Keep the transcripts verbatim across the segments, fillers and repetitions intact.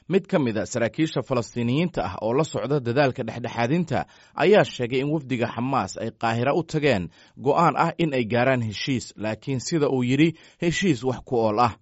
Mid ka mid a saraakiisha Falastiiniyiinta ah oo la socda dadaalka dhexdhexaadinta ayaa sheegay in wafdiga Xamaas ay Qaahira u tageen go'aan ah in ay gaaraan heshiis, laakiin sida uu yidhi, heshiis wax ku ool ah.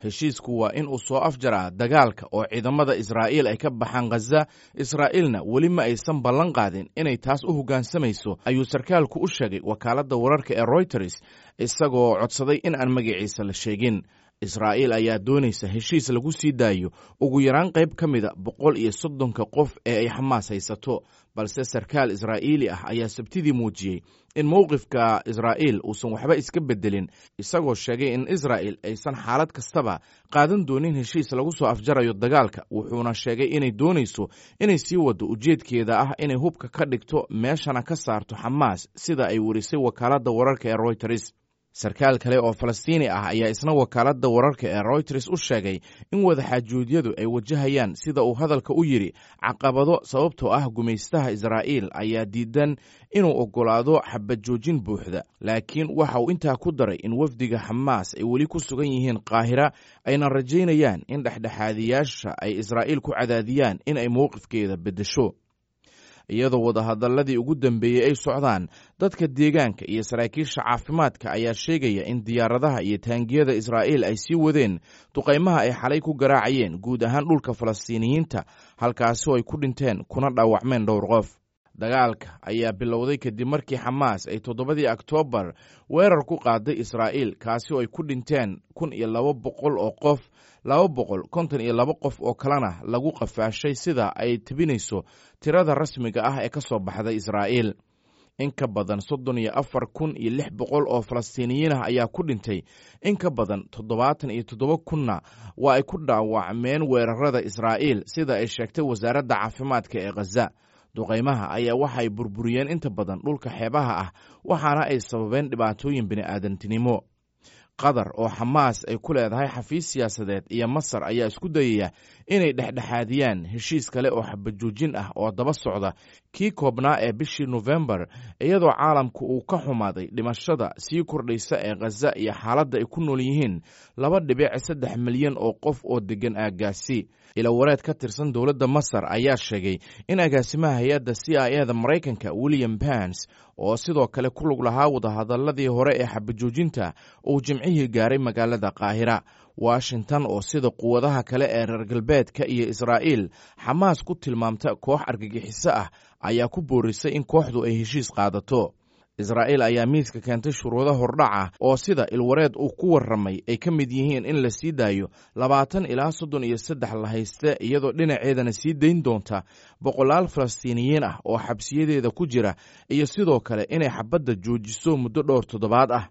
Heshiisku waa in uu soo afjaraa dagaalka oo ciidamada Israa'iil ay ka baxaan Khaza. Israa'iilna weli ma aysan ballan qaadin inay taas u hoggaansamayso, ayuu sarkaalku u sheegay wakaaladda wararka ee Royters, isagoo codsaday in aan magaciisa la sheegin. Israa'iil ayaa doonaysa heshiis lagu sii daayo ugu yaraan qayb ka mida boqol iyo soddonka qof ee ay Xamaas haysato, balse sarkaal Israa'iili ah ayaa Sabtidii muujiyey in mowqifka Israa'iil uusan waxba iska beddelin, isagoo sheegay in Israa'il aysan xaalad kastaba qaadan doonin heshiis lagu soo afjarayo dagaalka. Wuxuuna sheegay inay doonayso inay sii waddo ujeedkeeda ah inay hubka ka dhigto meeshana ka saarto Xamaas, sida ay werisay wakaaladda wararka ee Royters. Sarkaal kale oo Falastiini ah ayaa isna wakaaladda wararka ee Royters u sheegay in wadaxaajuudyadu ay wajahayaan, sida uu hadalka u yidhi, caqabado, sababtoo ah gumaystaha Israa'iil ayaa diidan inuu oggolaado xabad joojin buuxda. Laakiin waxa uu intaa ku daray in wafdiga Xamaas ay weli ku sugan yihiin Qaahira, ayna rajaynayaan in dhexdhexaadiyaasha ay Israa'iil ku cadaadiyaan in ay mowqifkeeda beddesho. Iyadoo wadahadaladii ugu dambeeyey ay socdaan, dadka deegaanka iyo saraakiisha caafimaadka ayaa sheegaya in diyaaradaha iyo taangiyada Israa'iil ay sii wadeen duqaymaha ay xalay ku garaacayeen guud ahaan dhulka Falastiiniyiinta, halkaasi oo ay ku dhinteen kuna dhaawacmeen dhowr qof. Dagaalka ayaa bilowday kadib markii Xamaas ay toddobadii Oktoobar weerar ku qaaday Israa'iil, kaasi oo ay ku dhinteen kun iyo laba boqol oo qof, laba boqol konton iyo laba qof oo kalena lagu qafaashay, sida ay tebinayso tirada rasmiga ah ee ka soo baxday Israa'iil. In ka badan soddon iyo afar kun iyo lix boqol oo Falastiiniyiin ah ayaa ku dhintay, in ka badan toddobaatan iyo toddoba kunna waa ay ku dhaawacmeen weerarada Israa'iil, sida ay sheegtay wasaaradda caafimaadka ee Khaza. Duqaymaha ayaa waxay burburiyeen inta badan dhulka xeebaha ah, waxaana ay sababeen dhibaatooyin bini'aadantinimo. Qatar oo Xamaas ay ku leedahay xafiis siyaasadeed iyo Masar ayaa isku dayaya inay dhexdhexaadiyaan heshiis kale oo xabajoojin ah oo daba socda kii koobnaa ee bishii Nofembar, iyadoo caalamku uu ka xumaaday dhimashada sii kordhaysa ee Khaza iyo xaaladda ay ku nool yihiin laba dhibic saddex milyan oo qof oo deggan aaggaasi. Ilawareed ka tirsan dowladda Masar ayaa sheegay in agaasimaha hay-adda C I A da Maraykanka William Bans, oo sidoo kale ku lug lahaa wadahadaladii hore ee xabajoojinta, uu Jimcihii gaaray magaalada Qaahira. Washington oo sida quwadaha kale ee reer galbeedka iyo Israa'iil Xamaas ku tilmaamta koox argagixiso ah ayaa ku boorisay in kooxdu ay heshiis qaadato. Israa'iil ayaa miiska keentay shuruudo hordhaca oo, sida ilwareed uu ku warramay, ay ka mid yihiin in la sii daayo labaatan ilaa soddon iyo saddex la hayste, iyadoo dhinaceedana sii dayn doonta boqolaal Falastiiniyiin ah oo xabsiyadeeda ku jira, iyo sidoo kale inay xabadda joojiso muddo dhowr toddobaad ah.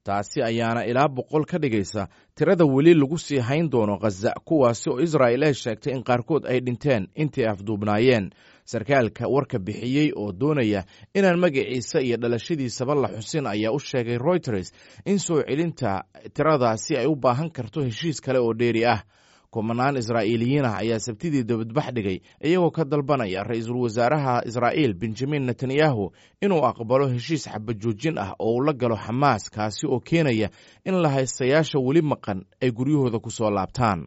Taasi ayaana ilaa boqol ka dhigaysa tirada weli lagu sii hayn doono Khaza, kuwaasi oo Israa'il ay sheegtay in qaarkood ay dhinteen intii afduubnaayeen. Sarkaalka warka bixiyey oo doonaya inaan magaciisa iyo dhalashadiisaba la xusin ayaa u sheegay Royters in soo celinta tiradaasi ay u baahan karto heshiis kale oo dheeri ah. Kumanaan Israa'iiliyiin ah ayaa Sabtidii dabadbax dhigay, iyagoo ka dalbanaya ra-iisul wasaaraha Israa'iil Benjamin Netanyahu inuu aqbalo heshiis xabajoojin ah oo uu la galo Xamaas, kaasi oo keenaya in la haystayaasha weli maqan ay guryahooda ku soo laabtaan.